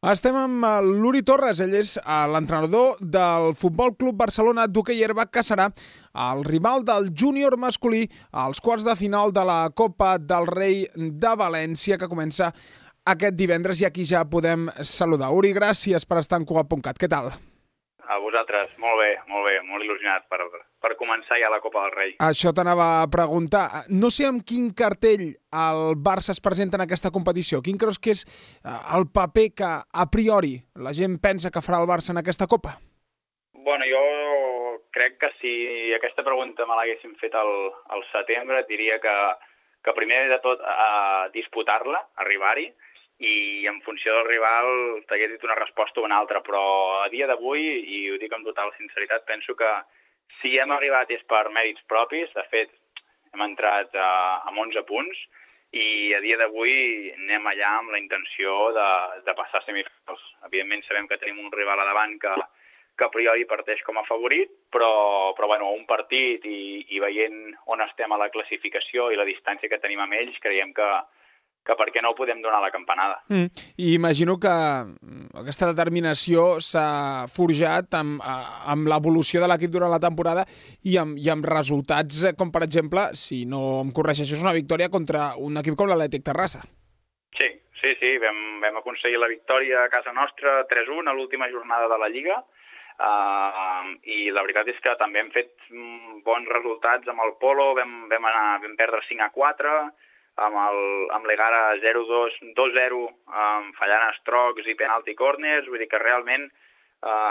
Estem amb l'Uri Torres, ell és l'entrenador del Futbol Club Barcelona d'hoquei herba, que serà el rival del júnior masculí als quarts de final de la Copa del Rei de València, que comença aquest divendres i aquí ja podem saludar. Uri, gràcies per estar en Cugat.cat. Què tal? A vosaltres, molt bé, molt il·lusionat per començar ja la Copa del Rei. Això t'anava a preguntar. No sé amb quin cartell el Barça es presenta en aquesta competició. Quin creus que és el paper que, a priori, la gent pensa que farà el Barça en aquesta Copa? Bueno, jo crec que si aquesta pregunta me l'haguessin fet al setembre, et diria que primer de tot disputar-la, arribar-hi, i en funció del rival t'hagués dit una resposta o una altra, però a dia d'avui, i ho dic amb total sinceritat, penso que si hem arribat és per mèrits propis. De fet, hem entrat amb 11 punts i a dia d'avui anem allà amb la intenció de passar a semifinals. Evidentment sabem que tenim un rival a davant que a priori parteix com a favorit, però bueno, un partit i veient on estem a la classificació i la distància que tenim amb ells, creiem que per què no ho podem donar la campanada. I imagino que aquesta determinació s'ha forjat amb l'evolució de l'equip durant la temporada i amb resultats com, per exemple, si no em corregeixes, una victòria contra un equip com l'Atlètic Terrassa. Sí. Vam aconseguir la victòria a casa nostra 3-1 a l'última jornada de la Lliga, i la veritat és que també hem fet bons resultats amb el Polo. Vam perdre 5-4, amb l'Egara 0-2, 2-0, fallant estrocs i penalti corners. Vull dir que realment,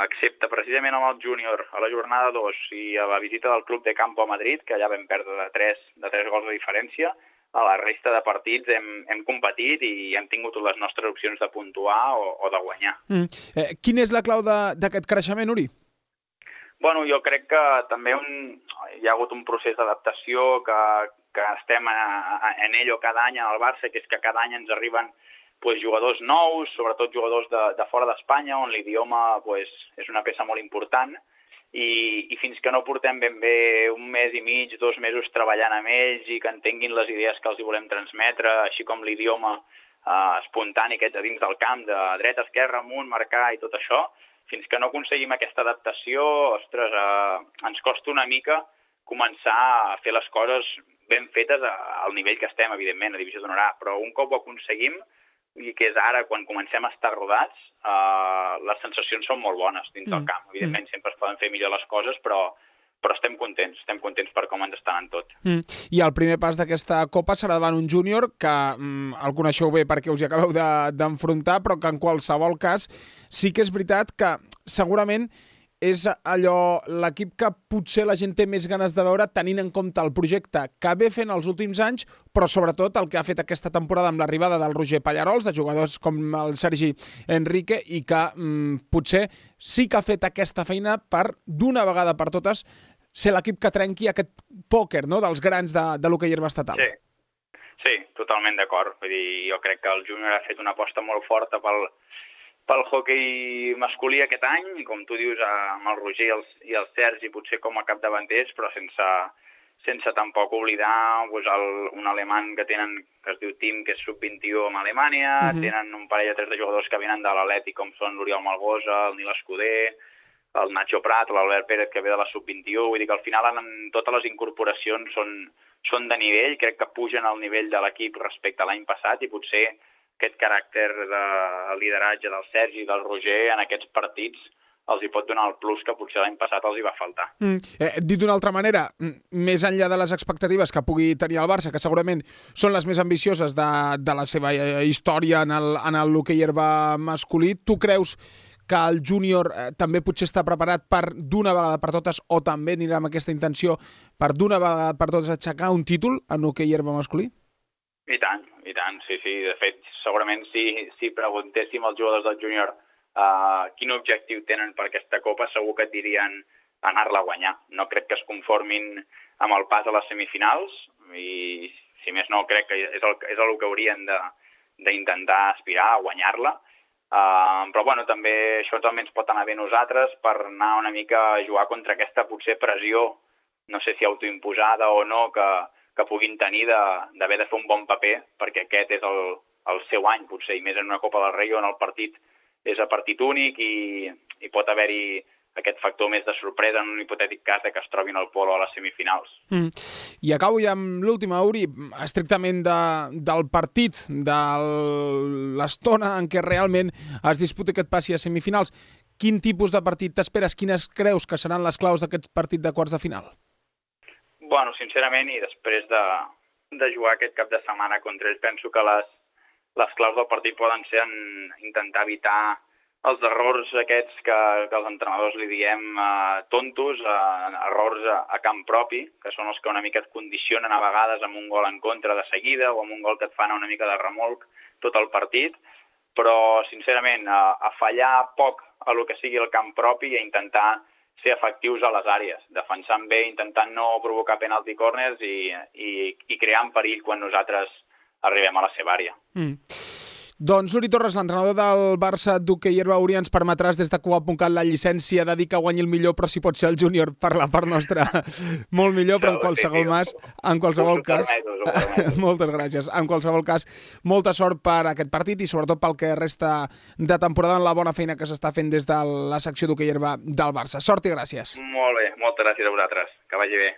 excepte precisament amb el júnior a la jornada 2 i a la visita del Club de Campo a Madrid, que allà vam perdre de 3 gols de diferència, a la resta de partits hem competit i hem tingut les nostres opcions de puntuar o de guanyar. Quina és la clau d'aquest creixement, Uri? Bueno, jo crec que també hi ha hagut un procés d'adaptació que estem en ello cada any al Barça, que és que cada any ens arriben jugadors nous, sobretot jugadors de fora d'Espanya, on l'idioma és una peça molt important, i fins que no portem ben bé un mes i mig, 2 mesos treballant amb ells i que entenguin les idees que els hi volem transmetre, així com l'idioma espontani aquest a dins del camp, de dreta, esquerra, amunt, marcar i tot això, fins que no aconseguim aquesta adaptació, ostres, ens costa una mica començar a fer les coses ben fetes al nivell que estem, evidentment, a Divisió d'Honor A, però un cop ho aconseguim, i que és ara quan comencem a estar rodats, les sensacions són molt bones dins del camp. Evidentment sempre es poden fer millor les coses, però estem contents per com ens està anant tot. I el primer pas d'aquesta Copa serà davant un júnior que el coneixeu bé perquè us hi acabeu d'enfrontar, però que en qualsevol cas sí que és veritat que segurament és allò l'equip que potser la gent té més ganes de veure, tenint en compte el projecte que ve fent els últims anys, però sobretot el que ha fet aquesta temporada amb l'arribada del Roger Pallarols, de jugadors com el Sergi Enrique, i que potser sí que ha fet aquesta feina per, d'una vegada per totes, ser l'equip que trenqui aquest pòquer, no?, dels grans de l'hoquei herba estatal. Sí, totalment d'acord. Vull dir, jo crec que el júnior ha fet una aposta molt forta pel hoquei masculí aquest any, i com tu dius, amb el Roger i el Sergi potser com a capdavanters, però sense tampoc oblidar un alemany que tenen, que es diu Tim, que és sub-21 amb Alemanya, tenen un parell de 3 de jugadors que venen de l'Atlètic, com són l'Oriol Malgosa, el Nil Escuder, el Nacho Prat, l'Albert Pérez, que ve de la sub-21, vull dir que al final totes les incorporacions són de nivell, crec que pugen al nivell de l'equip respecte a l'any passat, i potser aquest caràcter de lideratge del Sergi i del Roger en aquests partits els hi pot donar el plus que potser l'any passat els hi va faltar. Dit d'una altra manera, més enllà de les expectatives que pugui tenir el Barça, que segurament són les més ambicioses de la seva història en l'hoquei herba masculí, tu creus que el júnior també potser està preparat per d'una vegada per totes, o també anirà amb aquesta intenció per d'una vegada per totes aixecar un títol en hoquei herba masculí? I tant, sí. De fet, segurament si preguntéssim als jugadors del júnior quin objectiu tenen per aquesta Copa, segur que et dirien anar-la a guanyar. No crec que es conformin amb el pas a les semifinals, i si més no, crec que és el que haurien d'intentar aspirar a guanyar-la. Però bueno, això també ens pot anar bé nosaltres per anar una mica a jugar contra aquesta potser pressió, no sé si autoimposada o no, que puguin tenir d'haver de fer un bon paper, perquè aquest és el seu any, potser, i més en una Copa del Rei on el partit és a partit únic i pot haver-hi aquest factor més de sorpresa en un hipotètic cas de que es trobin al polo a les semifinals. I acabo ja amb l'última, Uri, estrictament del partit, de l'estona en què realment es disputa aquest passi a semifinals. Quin tipus de partit t'esperes? Quines creus que seran les claus d'aquest partit de quarts de final? Bueno, sincerament, i després de jugar aquest cap de setmana contra ells, penso que les claus del partit poden ser en intentar evitar els errors aquests que els entrenadors li diem tontos, errors a camp propi, que són els que una mica et condicionen a vegades amb un gol en contra de seguida o amb un gol que et fan una mica de remolc tot el partit, però sincerament a fallar poc a lo que sigui el camp propi i a intentar ser efectius a les àrees, defensant bé, intentant no provocar penalti corners i creant perill quan nosaltres arribem a la seva àrea. Doncs Uri Torres, l'entrenador del Barça d'hoquei herba, Uri, ens permetràs des de Cuba.cat la llicència de dir que guanyi el millor, però si pot ser el júnior per la part nostra molt millor, però en qualsevol cas, moltes gràcies. En qualsevol cas, molta sort per aquest partit i sobretot pel que resta de temporada en la bona feina que s'està fent des de la secció d'hoquei herba del Barça. Sort i gràcies. Molt bé, moltes gràcies a vosaltres. Que vagi bé.